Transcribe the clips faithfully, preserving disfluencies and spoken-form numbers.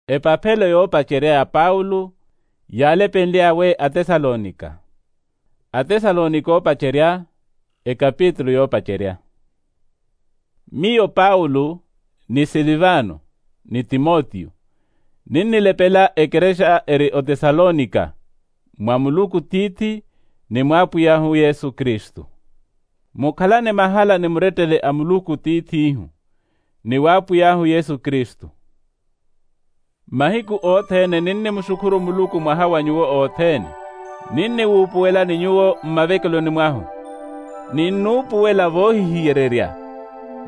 Epaphelo yoopacerya ya paulo yaalepenly'awe atesalonika. Atesalonika oopacerya, ekapitulu yoopacerya. Miyo paulo, ni silivano, ni timotiyo, ninnilepela ekerexa eri otesalonika, mwa muluku tiithi, ni mw'apwiy'ahu yesu kristu. Mukhalane mahala ni murettele a muluku tiith'ihu, ni w'apwiy'ahu yesu kristu. Mahiku othene ninnimuxukhuru muluku mwaha wa nyuwo othene, ninniwuupuwelani nyuwo mmavekeloni mwahu. Ninnuupuwela voohihiyererya,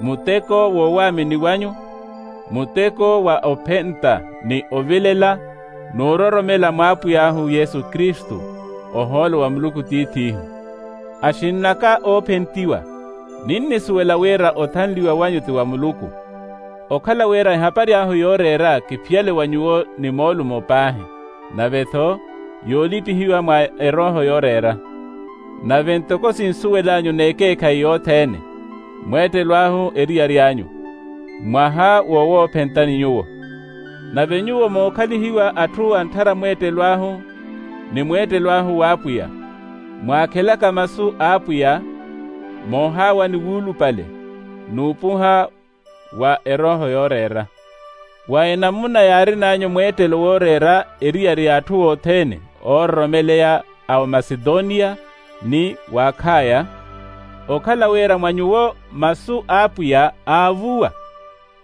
muteko w'owaamini wanyu, muteko wa ophenta, ni ovilela, n'uroromela mw'apwiy'ahu yesu kristu, ohoolo wa muluku tiith'ihu. Axinn'aka oophentiwa, ninnisuwela wira othanliwa wanyu ti wa muluku. Okhala wira ehapari ahu yooreera kiphiyale wa nyuwo ni moolumo paahi, nave-tho yoolipihiwa mwa erooho yooreera. Nave ntoko sinsuwel'anyu n'ekeekhayi yothene, mweettelo ahu eriyari anyu, mwaha wowoophentani nyuwo. Nave nyuwo mookhalihiwa atthu antthara mweettelo ahu, ni mweettelo ahu w'apwiya, mwaakhelaka masu a apwiya, moohaawani wuulupale, n'upuha wa erooho yooreera. Wa enamuna yaarin'anyu mweettelo wooreera eriyari ya atthu othene oororomeleya a omasetoniya, ni w'akhaya, okhala wira mwa nyuwo masu a apwiya aavuwa,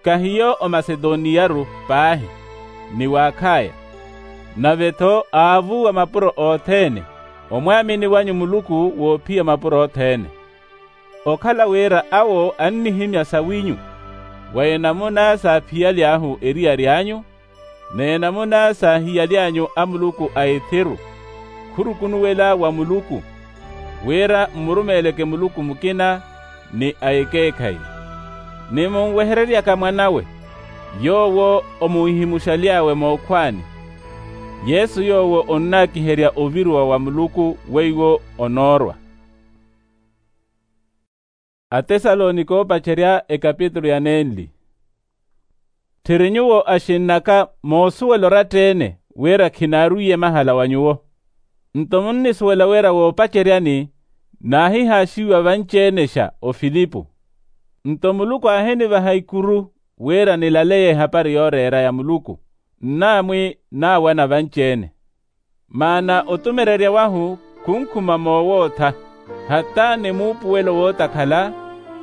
kahiyo omasetoniyaru paahi, ni w'akhaya, nave-tho aavuwa mapuro othene, omwaamini wanyu muluku woophiya mapuro othene. Okhala wira awo annihimya sawinyu, wa enamuna saaphiyali ahu eriyari anyu, n'enamuna saahiyali anyu a muluku a ethiru, khurukunuwela wa muluku, wira mmurumeeleke muluku mukina, ni a ekeekhayi, ni munwehereryaka mwan'awe, yoowo omuhimuxaly'awe mookhwaani, yesu yoowo onnaakiherya oviruwa wa muluku weiwo onoorwa. Atesalonika oopacerya ekapitulu ya nenli. Tthiri nyuwo axinn'aka moosuwela oratta-ene wira khinaarwiye mahala wa nyuwo. Nto munnisuwela wira woopaceryani naahihaaxiwa vanci-enexa ofilipu. Nto muluku aahinivaha ikuru wira nilaleye ehapari yooreera ya muluku, nnaamwi naawana vanci-ene. Maana otumererya wahu khunkhuma moowootha, hata ni muupuwelo wootakhala,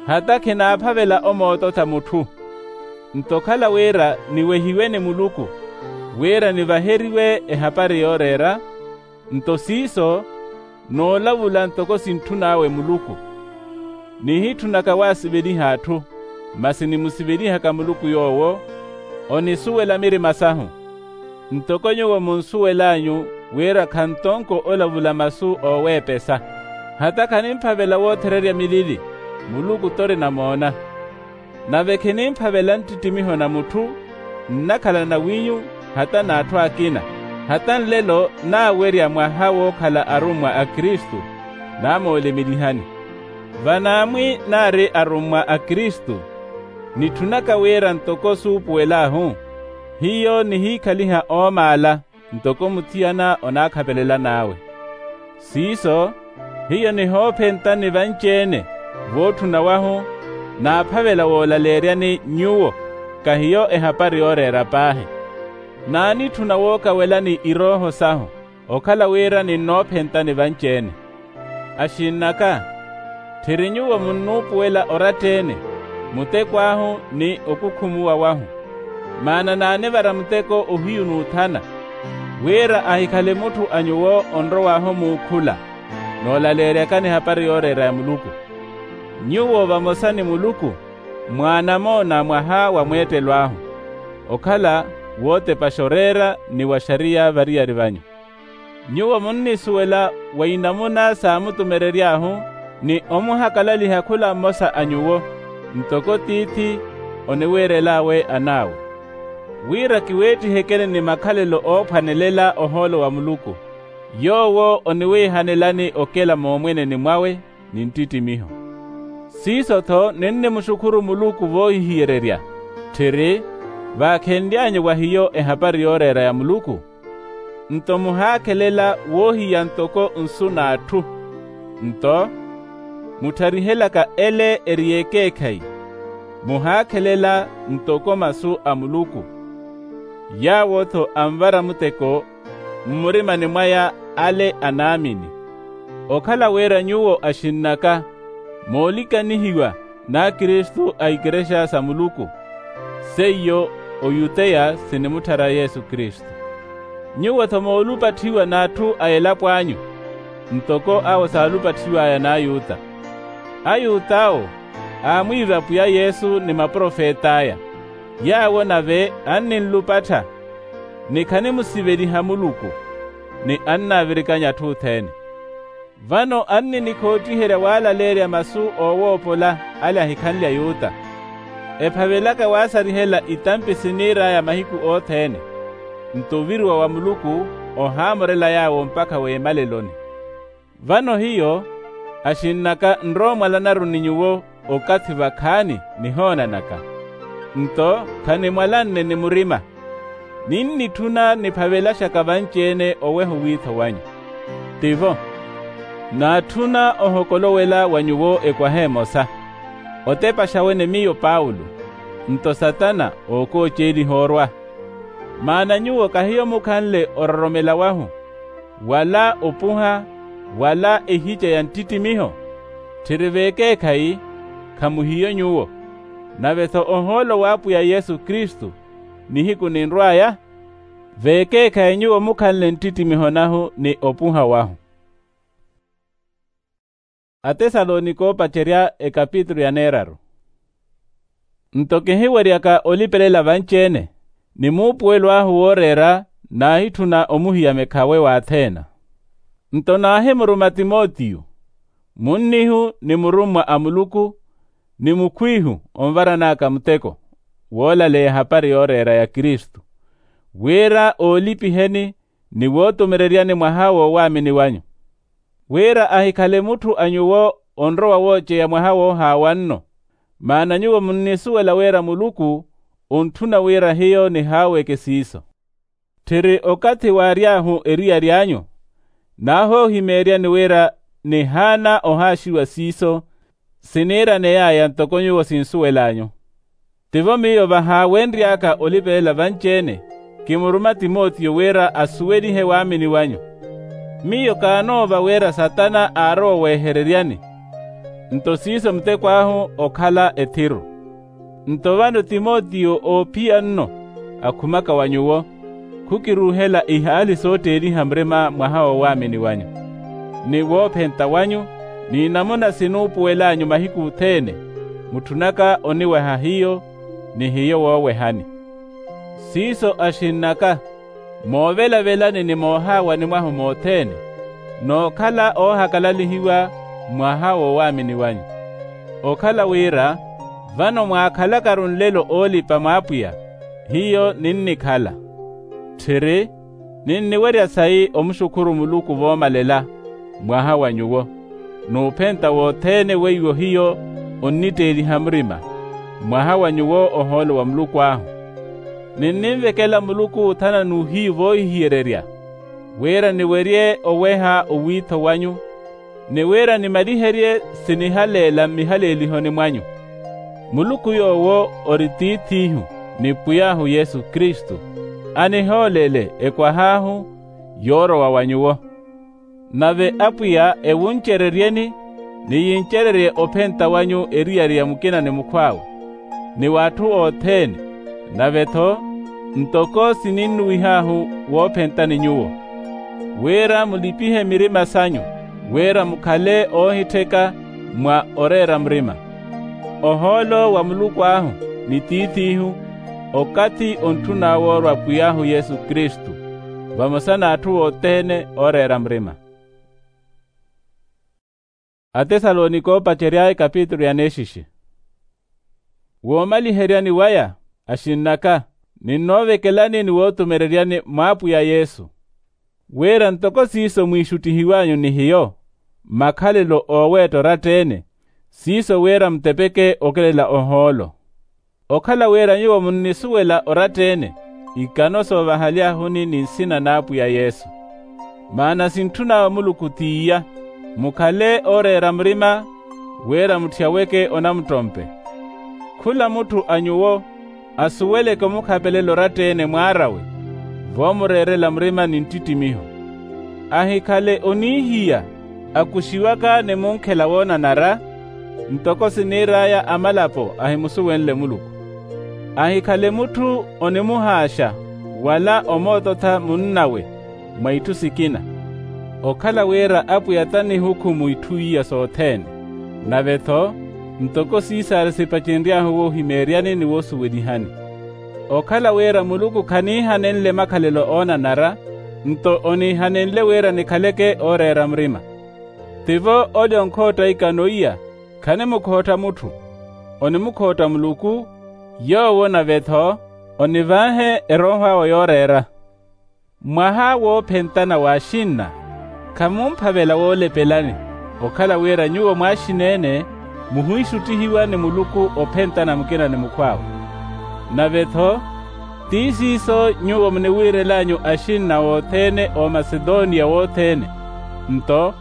hata khinaaphavela omoototha mutthu. Nto okhala wira niwehiwe ni muluku, wira nivaheriwe ehapari yooreera, nto siiso noolavula ntoko sintthun'awe muluku. Nihitthunaka waasiveliha atthu, masi nimusivelihaka muluku yoowo onisuwela mirima sahu. Ntoko nyuwo munsuwel'anyu wira khantonko olavula masu ooweepesa, hata khanimphavela woothererya milili, muluku t'ori namoona. Nave khinimphavela nttittimiho na mutthu, nnakhala nawinyu, hata n'atthu akina, hata nlelo naawerya mwaha wookhala arummwa a kristu, naamoolemelihani. Vanaamwi naari arummwa a kristu, nitthunaka wira ntoko suupuwel'ahu, hiyo nihiikhaliha oomaala ntoko muthiyana onaakhapelela n'awe. Siiso, hiyo nihoophentani vanci-ene vootthuna wahu, naaphavela woolaleeryani nyuwo, kahiyo ehapari yooreera paahi. Naanitthuna wookawelani irooho sahu, okhala wira ninnoophentani vanci-ene. Axinn'aka, tthiri nyuwo munnuupuwela oratta-ene, muteko ahu ni okukhumuwa wahu. Maana naanivara muteko ohiyu n'uthana, wira ahikhale mutthu a nyuwo onrow'ahu muukhula, noolaleeryakani ehapari yooreera ya muluku. Nyuwo vamosa ni muluku mwaanamoona mwaha wa mweettelo ahu, okhala wootepaxa oreera ni wa xariya variyari vanyu. Nyuwo munnisuwela wa inamuna saamutumerery'ahu, ni omuhakalaliha khula mmosa a nyuwo, ntoko tiithi oniwiirel'awe an'awe, wira kiweettihekeni ni makhalelo oophwanelela ohoolo wa muluku, yoowo oniwiihanelani okela moomweneni mwawe ni nttittimiho. Siiso-tho ninnimuxukhuru muluku voohihiyererya, tthiri, vaakhenly'anyu wa hiyo ehapari yooreera ya muluku. Nto muhaakhelela woohiya ntoko nsu n'atthu. Nto muttharihelaka ele eri y'ekeekhayi, muhaakhelela ntoko masu a muluku. Yaawo-tho anvara muteko mmurimani mwaya ale anaamini. Okhala wira nyuwo axinn'aka moolikanihiwa n'akristu a ikerexa sa muluku, seiyo oyuteya sinimutthara yesu kristu. Nyuwo-tho moolupatthiwa n'atthu a elapo anyu, ntoko awo saalupatthiw'aya n'ayuta. Ayut'awo aamwiiva pwiya yesu ni maprofet'aya. Yaawo nave anninlupattha, ni khanimusiveliha muluku, ni annaavirikanya atthu othene. Vano anninikhoottiherya waalaleerya masu oowoopola ale ahikhanle ayuta. Ephavelaka waasarihela itampi siniir'aya mahiku othene. Nto oviriwa wa muluku ohaamorela yaawo mpakha w'emaleloni. Vano hiyo axinn'aka nroomwalanaru ni nyuwo okathi vakhaani nihoonanaka. Nto khanimwalanne ni murima, ninnitthuna niphavelaxaka vanci-ene oweha owiitho wanyu. Tivo, naatthuna ohokolowela wa nyuwo ekwaha emosa, otepaxa wene miyo paulo, nto satana ookooceeliha orwa. Maana nyuwo kahiyo mukhanle ororomela wahu, wala opuha, wala ehica ya nttittimiho. Tthiri vekeekhayi, khamuhiyo nyuwo. Nave-tho ohoolo w'apwiya yesu kristu nihiku ninrw'aya. Vekeekhayi nyuwo mukhanle nttittimiho nahu ni opuha wahu. Atesalonika oopacerya ekapitulu ya neeraru. Nto kihiweryaka olipelela vanci-ene, ni muupuwelo ahu wooreera naahitthuna omuhiya mekhawe w'atheena. Nto naahimuruma timotiyo, munnihu ni murummwa a muluku, ni mukhwiihu onvaran'aka muteko, woolaleya ehapari yooreera ya kristu, wira oolipiheni ni wootumereryani mwaha woowaamini wanyu. Wira ahikhale mutthu a nyuwo onrowa wooceya mwaha woohaawa nno. Maana nyuwo munnisuwela wira muluku ontthuna wira hiyo nihaaweke siiso. Tthiri okathi waary'ahu eriyari anyu, naahoohimeeryani wira nihaana ohaaxiwa siiso, siniiraney'aya ntoko nyuwo sinsuwel'anyu. Tivo miyo vahaawenry'aka olipelela vanci-ene, kimuruma timotiyo wira asuwelihe waamini wanyu. Miyo kaanoova wira satana aarowa oweehereryani, nto siiso muteko ahu okhala ethiru. Nto vano timotiyo oophiya nno akhumaka wa nyuwo, khukiruuhela ihaali sootteeliha murima mwaha woowaamini wanyu, ni woophenta wanyu, ni namuna sinuupuwel'anyu mahiku othene, mutthunaka oniweha hiyo, ni hiyo woowehani. Siiso axinn'aka, moovelavelani ni moohaawani mwahu mothene, nookhala oohakalalihiwa mwaha woowaamini wanyu. Okhala wira vano mwaakhalakaru nlelo oolipa m'apwiya, hiyo ninnikhala. Tthiri, ninniwerya sayi omuxukhuru muluku voomalela, mwaha wa nyuwo, n'uphenta wothene weiwo hiyo onnitteeliha murima, mwaha wa nyuwo ohoolo wa muluku ahu. Ninninvekela muluku othana n'uhiyu voohihiyererya, wira niwerye oweha owiitho wanyu, ni wira nimaliherye sinihaleela mmihaleelihoni mwanyu. Muluku yoowo ori tiith'ihu ni pwiy'ahu yesu kristu, anihoolele ekwah'ahu yoorowa wa nyuwo. Nave apwiya ewuncereryeni, ni yincererye ophenta wanyu eriyari ya mukina ni mukhw'awe, ni w'atthu othene, nave-tho ntoko sininnuwih'ahu woophentani nyuwo, wira mulipihe mirima sanyu, wira mukhale oohittheka mwa oreera murima. Ohoolo wa muluku ahu ni tiith'ihu okathi ontthun'awe orwa pwiy'ahu yesu kristu, vamosa n'atthu othene ooreera murima. Atesalonika oopacerya ekapitulu ya neexixe. Woomaliheryani waya, axinn'aka, ninnoovekelani ni wootumereryani m'apwiya yesu, wira ntoko siiso mwiixuttihiw'anyu ni hiyo, makhalelo ooweetta oratta-ene, siiso wira mutepeke okelela ohoolo. Okhala wira nyuwo munnisuwela oratta-ene, ikano soovahaliahuni ni nsina n'apwiya yesu. Maana sintthun'awe muluku t'iya, mukhale ooreera murima, wira mutthiyaweke onamuttompe. Khula mutthu a nyuwo asuweleke omukhapelela oratta-ene mwaar'awe, voomureerela murima ni nttittimiho. Ahikhale onihiya akuxiwaka ni munkhela woonanara, ntoko siniir'aya amalapo ahimusuwenle muluku. Ahikhale mutthu onimuhaaxa wala omoototha munnawe mwa itthu sikina. Okhala wira apwiya t'anihukhumu itthu iya sothene, nave-tho ntoko sisara sipacenry'ahu woohimeeryani ni woosuwelihani. Okhala wira muluku khaniihanenle makhalelo oonanara, nto oniihanenle wira nikhaleke ooreera murima. Tivo ole onkhootta ikano iya khanimukhootta mutthu, onimukhootta muluku, yoowo nave-tho onivaahe erooho awe yooreera. Mwaha woophentana w'axinna, khamumphavela woolepelani. Okhala wira nyuwo mwaaxina-ene muhwiixuttihiwa ni muluku ophentana mukina ni mukhw'awe. Nave-tho ti siiso nyuwo muniwiirel'anyu axinna othene omasetoniya wothene. Nto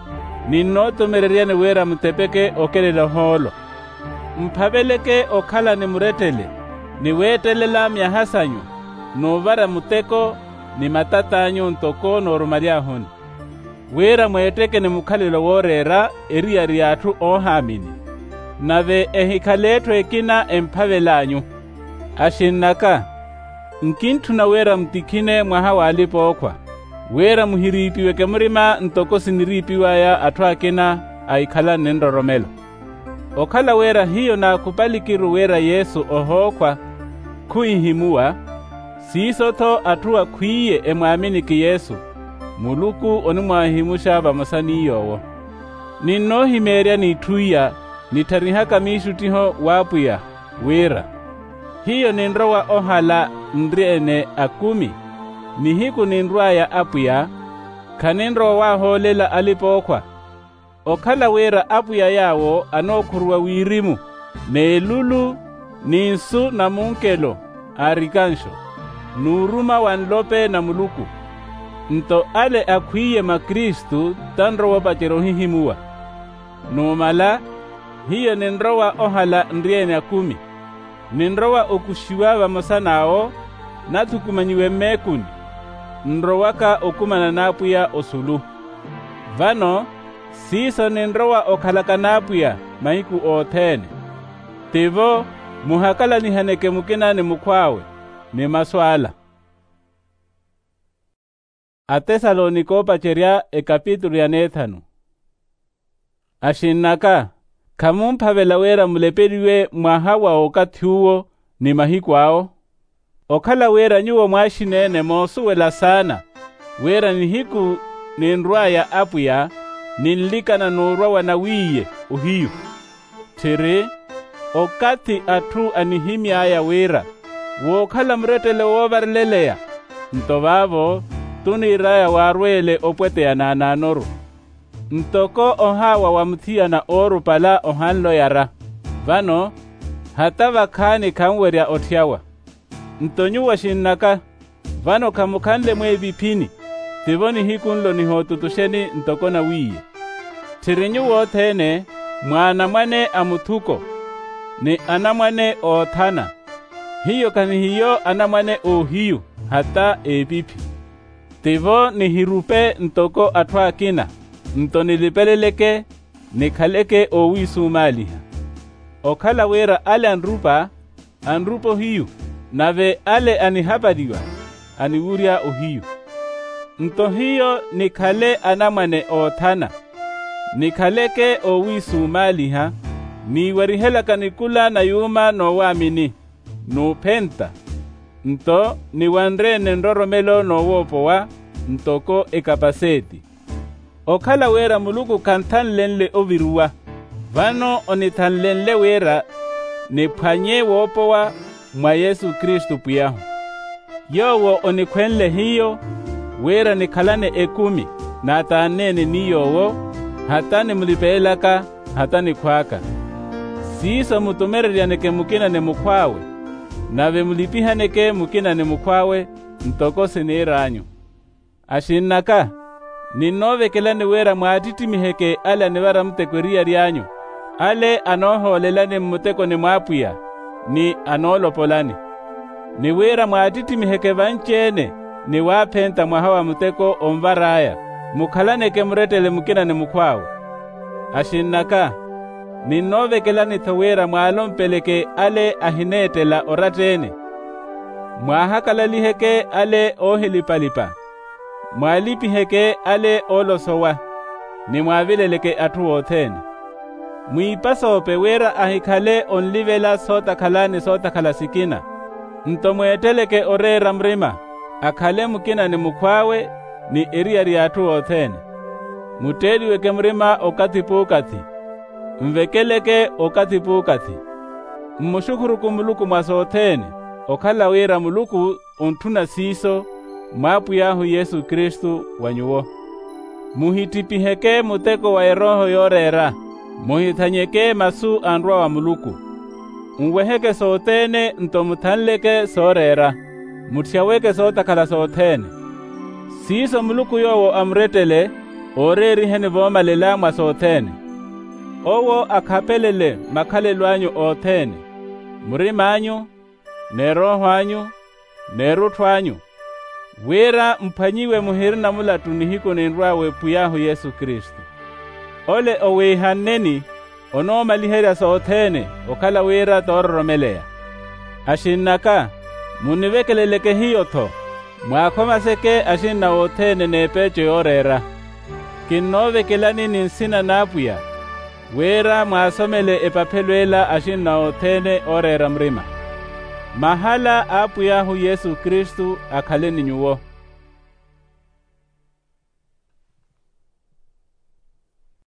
ninnootumereryani wira mutepeke okelela ohoolo, mphaveleke okhala ni murettele ni weettelela myaha s'anyu, n'uvara muteko ni matat'anyu ntoko noorumaly'ahuni, wira mweetteke ni mukhalelo wooreera eriyari y'atthu oohaamini. Nave ehikhale etthu ekina emphavel'anyu. Axinn'aka, nkintthuna wira mutikhine mwaha w'alipa-ookhwa, wira muhiriipiweke murima ntoko siniriipiw'aya atthu akina ahikhalanne nroromelo. Okhala wira hiyo naakhupalikiru wira yesu ohookhwa, khuhihimuwa. Siiso-tho atthu akhwiiye emwaaminiki yesu, muluku onimwaahihimuxa vamosa n'iy'owo. Ninnoohimeeryani itthu iya nitharihaka miixuttiho w'apwiya, wira hiyo ninrowa ohala nri-ene akumi, nihiku ninrw'aya apwiya, khaninrowa waahoolela alipa-ookhwa. Okhala wira apwiya yaawo anookhuruwa wirimu, n'elulu, ni nsu na munkelo, arikanxo, n'uruma wa nlope na muluku. Nto ale akhwiiye mwa kristu tanrowa opacerya ohihimuwa. Numala, hiyo ninrowa ohala nri-ene akumi, ninrowa okuxiwa vamosa n'awo nathukumanyiwe mmeekuni, nrowaka okumana n'apwiya osulu. Vano siiso ninrowa okhalaka n'apwiya mahiku othene. Tivo muhakalanihaneke mukina ni mukhw'awe ni masu ala. Atesalonika oopacerya ekapitulu ya neethanu. Axinn'aka, khamumphavela wira mulepeliwe mwaha wa okathi uwo ni mahiku awo. Okhala wira nyuwo mwaaxina-ene moosuwela saana, wira nihiku ninrw'aya apwiya ninlikana n'urwa wanawiiye ohiyu. Tthiri, okathi atthu anihimy'aya wira wookhala murettele woovareleleya, nto vaavo tuniir'aya waarweele opweteya naanaanoru. Ntoko ohaawa wa muthiyana oorupala ohanle oyara, vano hata vakhaani khanwerya otthyawa. Nto nyuwo axinn'aka, vano khamukhanle mweeviphini, tivo nihiku nlo nihootutuxeni ntoko nawiiye. Tthiri nyuwo othene mwa anamwane a muthuko, ni anamwane oothana. Hiyo khahihiyo anamwane oohiyu, hata eepiphi. Tivo nihirupe ntoko atthu akina, nto nilipeleleke, nikhaleke oowiisumaaliha. Okhala wira ale anrupa, anrupa ohiyu, nave ale anihapaliwa, aniwurya ohiyu. Nto hiyo nikhale anamwane oothana, nikhaleke oowiisumaaliha, niiwarihelaka nikula na yuuma noowaamini, n'uphenta. Nto niwanre-ene nroromelo noowoopowa, ntoko ekapaseeti. Okhala wira muluku khanthanlenle oviruwa, vano onithanlenle wira niphwanye woopowa mwa yesu kristu pwiy'ahu. Yoowo onikhwenle hiyo, wira nikhalane ekumi, naataanne-ene ni yoowo, hata nimulipeelaka, hata nikhw'aka. Siiso mutumereryaneke mukina ni mukhw'awe, Nave mulipihaneke mukina ni mukhw'awe ntoko siniir'anyu. Axinn'aka, ninnoovekelani wira mwaatittimiheke ale anivara muteko eriyari anyu, ale anoohoolelani mmutekoni mw'apwiya, ni anoolopolani. Ni wira mwaatittimiheke vanci-ene ni waaphenta mwaha wa muteko onvar'aya, mukhalaneke murettele mukina ni mukhw'awe. Axinn'aka, ninnoovekelani-tho wira mwaalompeleke ale ahineettela oratta-ene. Mwaahakalaliheeke ale oohilipa-lipa. Mwaalipiheke ale oolosowa, ni mwaavileleke atthu othene. Mwiipasoope wira ahikhale onlivela sootakhala ni sootakhala sikina. Nto mweetteleke oreera murima, akhale mukina ni mukhw'awe, ni eriyari y'atthu othene. Mutteeliweke murima okathi p'ukathi. Nvekeleke okathi p'ukathi. Mmuxukhuruku muluku mwa sothene, okhala wira muluku ontthuna siiso, mw'apwiy'ahu yesu kristu wa nyuwo. Muhittippiheke muteko wa erooho yooreera. Muhithanyeke masu anrwa wa muluku. Nweheke sothene nto muthanleke sooreera. Mutthiyaweke sootakhala sothene. Siiso muluku yoowo amurettele, ooreeriheni voomalela mwa sothene. Owo akhapelele makhalelo anyu othene, murim'anyu, n'erooho anyu, n'erutthu anyu, wira mphwanyiwe muhirina mulattu nihiku ninrwa w'epwiy'ahu yesu kristu. Ole oweihanneni, onoomaliherya sothene, okhala wira toororomeleya. Axinn'aka, munivekeleleke hiyo-tho, mwaakhomaseke axinna othene n'epeeco yooreera. Kinnoovekelani ni nsina n'apwiya, wira mwaasomele epaphelo ela axinna othene ooreera murima. Mahala a apwiy'ahu yesu kristu akhale ni nyuwo.